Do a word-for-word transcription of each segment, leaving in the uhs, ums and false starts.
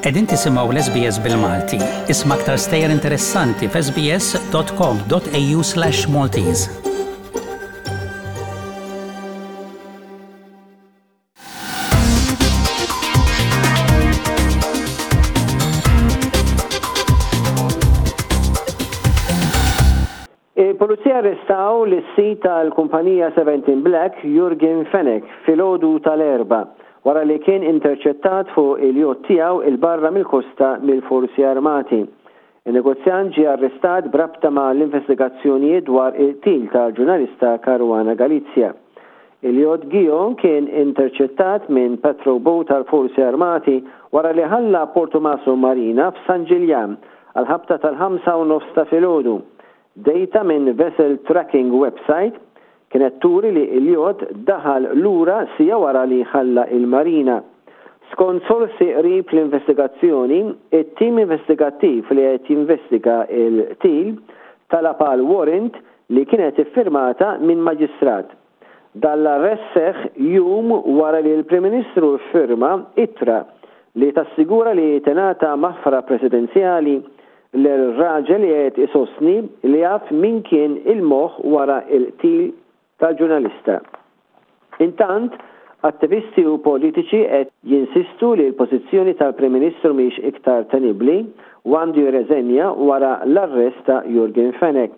Qegħdin tisimgħu l-S B S bil-Malti. Isma' aktar stejjer interessanti f'S B S dot com dot A U slash Maltese. Il-Pulizija arrestaw lis-sid tal-kumpanija seventeen Black, Yorgen Fenech, filgħodu tal-Erbgħa wara li kien interċettat fuq il-jott tiegħu 'il barra mill-kosta mill-Forzi Armati. Il-negozjant ġie arrestat b'rabta ma' l-investigazzjonijiet dwar il-qtil tal-ġurnalista Caruana Galizia. Il-jott Gio kien interċettat minn patrol boat tal-Forzi Armati wara li ħalla Portomaso Marina f'San Ġiljan għal-ħabta tal-ħamsa u nofs ta' filgħodu. Data minn vessel tracking website kienet turi li il-jott daħal lura siegħa wara li ħalla il-marina. Skont sorsi qrib l-investigazzjoni, it-tim investigattiv li qed jinvestiga il-qtil talab għal warrant li kienet iffirmata minn maġistrat. Dan l-arrest seħ jum wara li l-Prim Ministru firma ittra li tassigura li tingħata maħfra presidenzjali l-raġel li qed isostni li jaf min kien il-moħ wara il-qtil tal-ġurnalista. Intant, attivisti u politiċi qed jinsistu li l-pożizzjoni tal-Prim Ministru mhix iktar tenibbli u għandu jirreżenja wara l-arrest ta' Yorgen Fenech.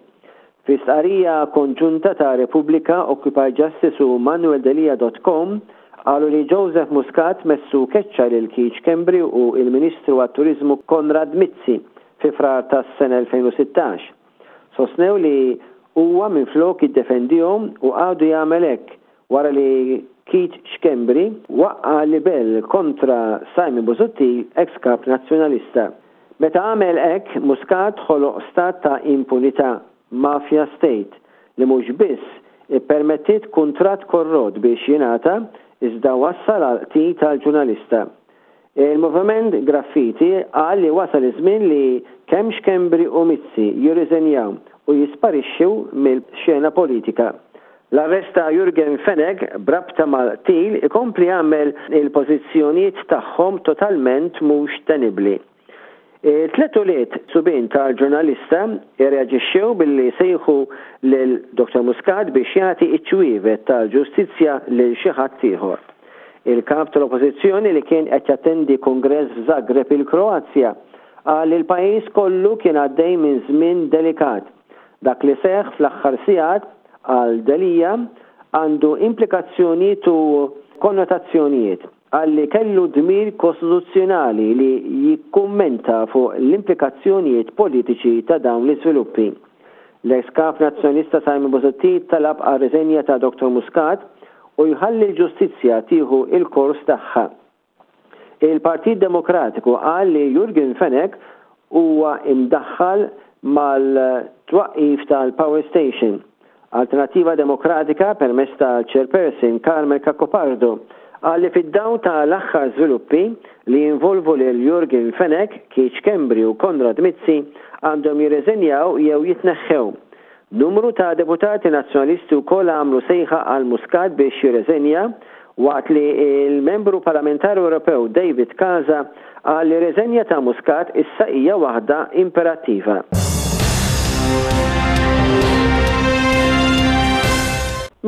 Fi stqarrija konġunta ta' Repubblika, Occupy Justice u Manuel Delia dot com qalu li Joseph Muscat messu keċċa lil Keith Schembri u il-Ministru għat-Turizmu Konrad Mizzi fi Frar tas-sena elfejn u sittax. Sosnew li huwa minflok iddefendihom u għadu jagħmel hekk wara li Keith Schembri waqqa libel kontra Simon Busuttil, ex-kap nazzjonalista. Meta għamel hekk, Muscat ħoloq stat ta' impunità, mafia state, li mhux biss ippermettit kuntratt korrot biex jingħata, iżda wassal għal qtil tal-ġurnalista. Il-Moviment Graffiti qal li wasal iż-żmien li kemm Schembri u Mizzi jirriżenjaw u jisparixxu mill-xena politika. L-arrest ta' Yorgen Fenech b'rabta mal-qtil ikompli jagħmel il-pożizzjonijiet tagħhom totalment mhux tenibbli. Tliet ulied subien tal-ġurnalista irreaġixxew billi sejħu lil Doktor Muscat biex jagħti iċ-ċwievet tal-ġustizzja lil xi ħadd ieħor. Il-kap tal-Oppożizzjoni, li kien qed jattendi kongress f'Zagreb, il-Kroazja, qal li l-pajjiż kollu kien għaddej minn żmien delikat. Dak li seħ fl-aħħar sigħat, qal Delia, għandu implikazzjonijiet u konnotazzjonijiet. Qal li kellu dmir kostituzzjonali li jikkummenta fuq l-implikazzjonijiet politiċi ta' dawn l-iżviluppi. L-ex kap nazzjonalista Simon Busuttil talab għal riżenja ta' Doktor Muscat u jħalli l-ġustizzja tieħu il-kors tagħha. Il-Partit Demokratiku qal li Yorgen Fenech huwa imdaħħal mal-twaqif tal-Power Station. Alternativa Demokratika, permezz tal-Chairperson Carmel Cacopardo, qal li fid-dawl ta' l-aħħar żviluppi li jinvolvu lil Yorgen Fenech, Keith Schembri u Konrad Mizzi, għandhom jirreżenjaw jew jitneħħew. Numru ta' deputati nazzjonalisti wkoll għamlu sejħa għal Muscat biex jirreżenja, waqt li il-membru parlamentari Ewropew David Casa qal li reżenja ta' Muscat issa hija waħda imperattiva.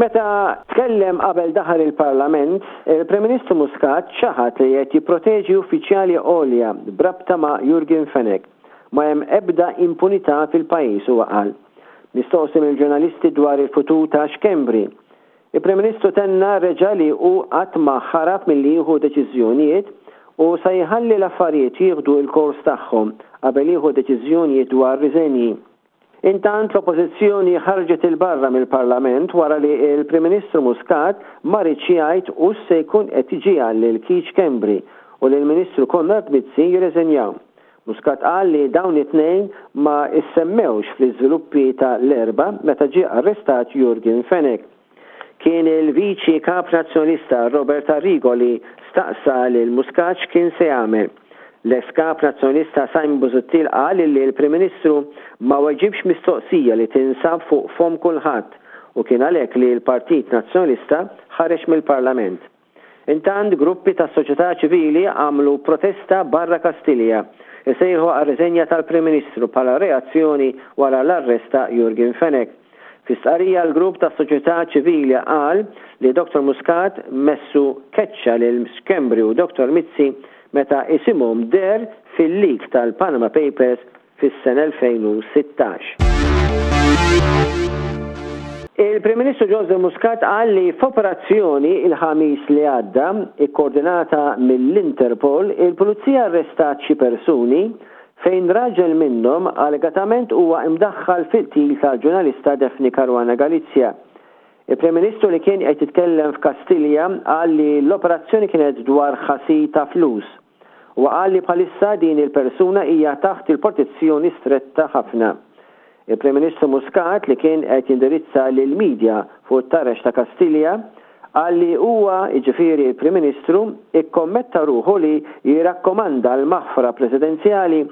Meta tkellem qabel daħal il-Parlament, il-Prim Ministru Muscat ċaħat li qed jipproteġi uffiċjali għolja b'rabta ma' Yorgen Fenech. Ma hemm ebda impunità fil-pajjiż, huwa qal. Mistoqsi mill-ġurnalisti dwar il-futur ta' Schembri, il-Prim Ministru tenna reġa li hu qatt ma ħarab milli jieħu deċiżjonijiet u sa jħalli l-affarijiet jieħdu il-kors tagħhom qabel jieħu deċiżjonijiet dwar riżenji. Intant, l-Oppożizzjoni ħarġet 'il barra mill-Parlament wara li il-Prim Ministru Muscat ma riedx jgħid u se jkun qed iġiegħel lil Keith Schembri u lil Ministru Konrad Mizzi jirreżenjaw. Muscat qal li dawn it-tnejn ma issemmewx fl-iżviluppi ta' l-Erbgħa meta ġie arrestat Yorgen Fenech. Kien il-Viċi Kap Nazzjonalista Robert Arrigo li staqsa lil Muscat x'kien se jagħmel. L-ex kap nazzjonalista Simon Busuttil qal li l-Prim Ministru ma weġibx mistoqsija li tinsab fuq fom kulħadd u kien għalhekk li l-Partit Nazzjonalista ħareġ mill-Parlament. Intant gruppi tas-soċjetà ċivili għamlu protesta barra Kastilja, isejħu għar-riżenja tal-Prim Ministru bħala reazzjoni wara l-arrest ta' Yorgen Fenech. Fi stqarrija l-grupp tas-soċjetà ċivili qal li Dottor Muscat messu keċċa lil Schembri u Dottor Mizzi meta isimhom deher fil-leak tal-Panama Papers fis-sena elfejn u sittax. Il-Prim Ministru Joseph Muscat qal li f'operazzjoni il-Ħamis li għadda, ikkoordinata mill-Interpol, il-Pulizija arrestat xi persuni fejn raġel minnhom allegatament huwa imdaħħal fil-qtil tal-ġurnalista Daphne Caruana Galizia. Il-Prim Ministru li kien qed jitkellem f'Kastilja qal li l-operazzjoni kienet dwar ħasil ta' flus. U qal li bħalissa din il-persuna hija taħt il-protezzjoni stretta ħafna. Il-Prim Ministru Muscat li kien qed jindirizza lil-medja fuq it-taraġ ta' Kastilja qal li huwa, jiġifieri il-Prim Ministru, ikkommetta ruħu li jirrakkomanda l-maħfra presidenzjali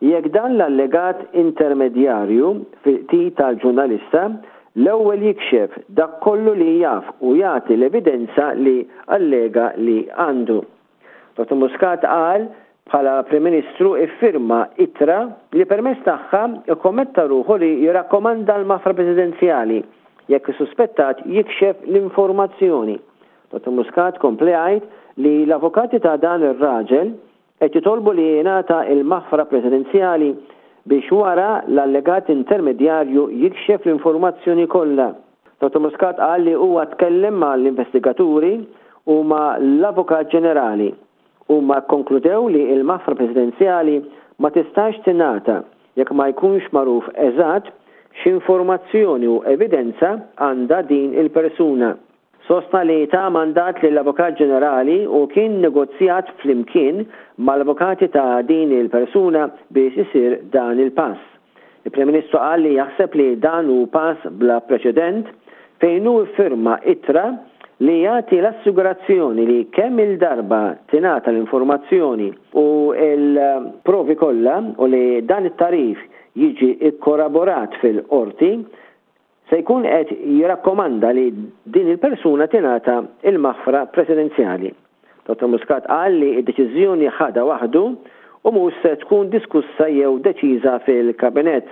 jekk dan l-allegat intermedjarju fil-qtil tal-ġurnalista l-ewwel jikxef dak kollu li jaf u jagħti l-evidenza li allega li għandu. Dottor Muscat qal bħala Prim Ministru iffirma ittra li permezz tagħha ikkommetta ruħu li jirrakkomanda l-maħfra presidenzjali jekk is-suspettat jikxef l-informazzjoni. Dottor Muscat kompli jgħid li l-avukati ta' dan ir-raġel qed jitolbu li jingħata l-maħfra presidenzjali biex wara l-allegat intermedjarju jikxef l-informazzjoni kollha. Dottor Muscat qal li huwa tkellem mal-investigaturi u ma' l-Avukat Ġenerali. Huma kkonkludew li l-maħfra presidenzjali ma tistax tingħata jekk ma jkunx magħruf eżatt x'informazzjoni u evidenza għandha din il-persuna. Sostna li ta' mandat lill-Avukat Ġenerali u kien negozjat flimkien mal-avukati ta' din il-persuna biex isir dan il-pass. Il-Prim Ministru qal li jaħseb li dan hu pass bla preċedent fejn hu iffirma ittra li jagħti l-assigurazzjoni li kemm il-darba tingħata l-informazzjoni u l-provi kollha u li dan it-tarif jiġi ikkoraborat fil-qorti, se jkun qed jirrakkomanda li din il-persuna tingħata il-maħfra presidenzjali. Dottor Muscat qal li d-deċiżjoni ħadha waħdu u mhux se tkun diskussa jew deċiża fil-kabinett.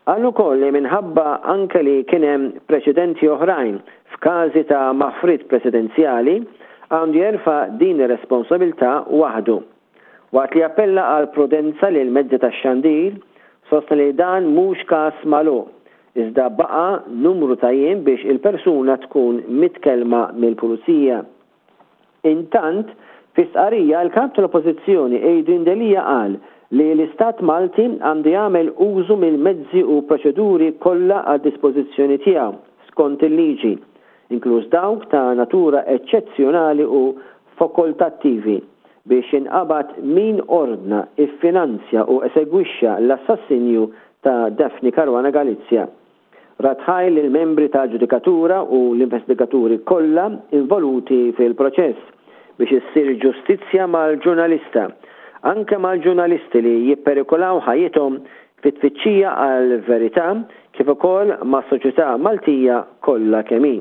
Qal ukoll li minħabba anke li kien hemm preċedenti oħrajn f'każi ta' maħfriet presidenzjali għandu jerfa' din ir-responsabilità waħdu. Waqt li appella għal prudenza lil mezzi tax-xandir, sostna li dan mhux każ magħluq, iżda baqa' numru ta' jiem biex il-persuna tkun mitkellma mill-pulizija. Intant, fi stqarrija l-kap tal-Oppożizzjoni Adrian Delia qal li l-Istat Malti għandu jagħmel użu mill-mezzi u proċeduri kollha għad dispożizzjoni tiegħu skont il-liġi, inkluż dawk ta' natura eċċezzjonali u fakultattivi biex jinqabad min ordna, iffinanzja u esegwixxa l-assassinju ta' Daphne Caruana Galizia. Ratħaj lil membri ta' ġudikatura u l-investigaturi kollha involuti fil-proċess biex issir ġustizzja mal-ġurnalista, anke mal-ġurnalisti li jipperikolaw ħajjithom fit-tfittxija għal-verità kif ukoll mas-soċjetà Maltija kollha kemm hi.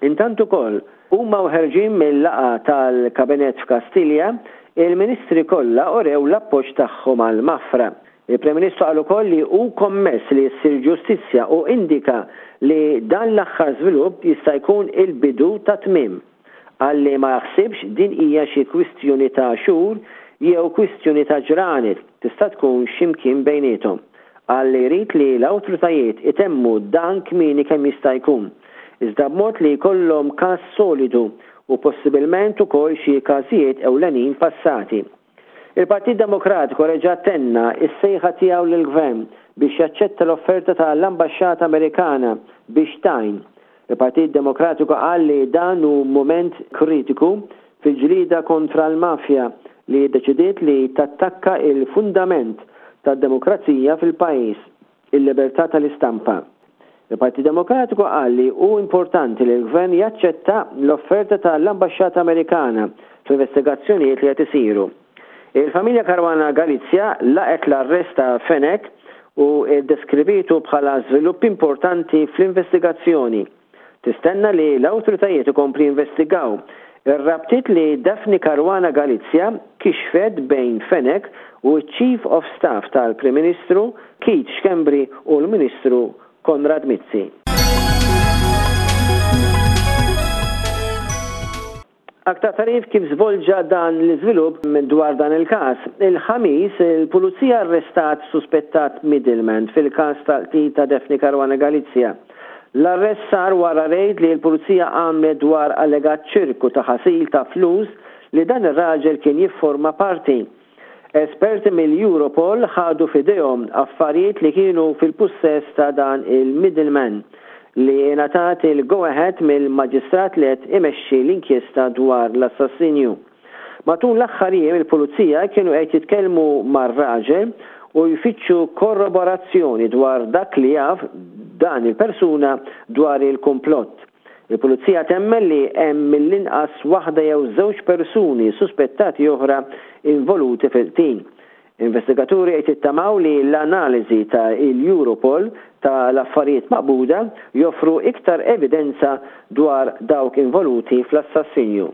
Intant ukoll huma ħerġin mill-laqgħa tal-Kabinett f'Kastilja, il-Ministri kollha urew l-appoġġ tagħhom għall-maħfra. Il-Prim Ministru qal ukoll li hu kommess li ssir ġustizzja u indika li dan l-aħħar żvilupp jista' jkun il-bidu ta' tmiem. Qal li ma jaħsibx din hija xi kwistjoni ta' xhur jew kwistjoni ta' ġranet, tista' tkun x'imkien bejniethom. Qal li jrid li l-awtoritajiet itemmu dan kmieni kemm jista' jkun, iżda b'mod li jkollhom każ solidu u possibilment ukoll xi każijiet ewlenin passati. Il-Partit Demokratiku reġa' tenna s-sejħa tiegħu lill-Gvern biex jaċċetta l-offerta tal-Ambaxxata Amerikana biex tgħin. Il-Partit Demokratiku qal li dan hu mument kritiku fil-ġlieda kontra l-mafja li ddeċidiet li tattakka il-fundament tad-demokrazija fil-pajjiż, il-libertà tal-istampa. Il-Partit Demokratiku qal li hu importanti li l-Gvern jaċċetta l-offerta tal-Ambaxxata Amerikana fl-investigazzjonijiet li qed isiru. Il-familja Caruana Galizia laqgħet l-arrest ta' Fenech u ddeskrivitu bħala żvilupp importanti fl-investigazzjoni. Tistenna li l-awtoritajiet ikompli investigaw Ir-rabtiet li Daphne Caruana Galizia kixfet bejn Fenech u Chief of Staff tal-Prim Ministru Keith Schembri u l-Ministru Konrad Mizzi. Aktar tagħrif kif żvolġa dan l-iżvilupp dwar dan il-każ. Il-Ħamis, il-Pulizija arrestat suspettat middleman fil-każ tal-qtil ta' Daphne Caruana Galizia. L-arrest sar wara rejd li l-Pulizija għamlet dwar allegat ċirku ta' ħasil ta' flus li dan ir-raġel kien jifforma parti. Esperti mill-Europol ħadu f'idejhom affarijiet li kienu fil-pussess ta' dan il-middleman li ngħatat il-go-ahead mill-maġistrat li qed imexxi l-inkjesta dwar l-assassinju. Matul l-aħħar jiem il-Pulizija kienu qed jitkellmu mar-raġel u jfittxu korroborazzjoni dwar dak li jaf dan il-persuna dwar il-komplott. Il-Pulizija temmen li hemm mill-inqas waħda jew żewġ persuni suspettati oħra involuti fil-qtil. Investigaturi qed jittamaw li l-analiżi ta' il-Europol ta' l-affarijiet maqbuda joffru iktar evidenza dwar dawk involuti fl-assassinju.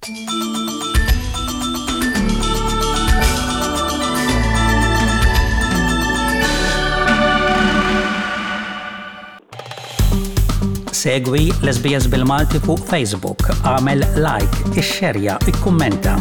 Segwi l-S B S bil-Malti fuq Facebook, għamel like, ixxerja, ikkummenta.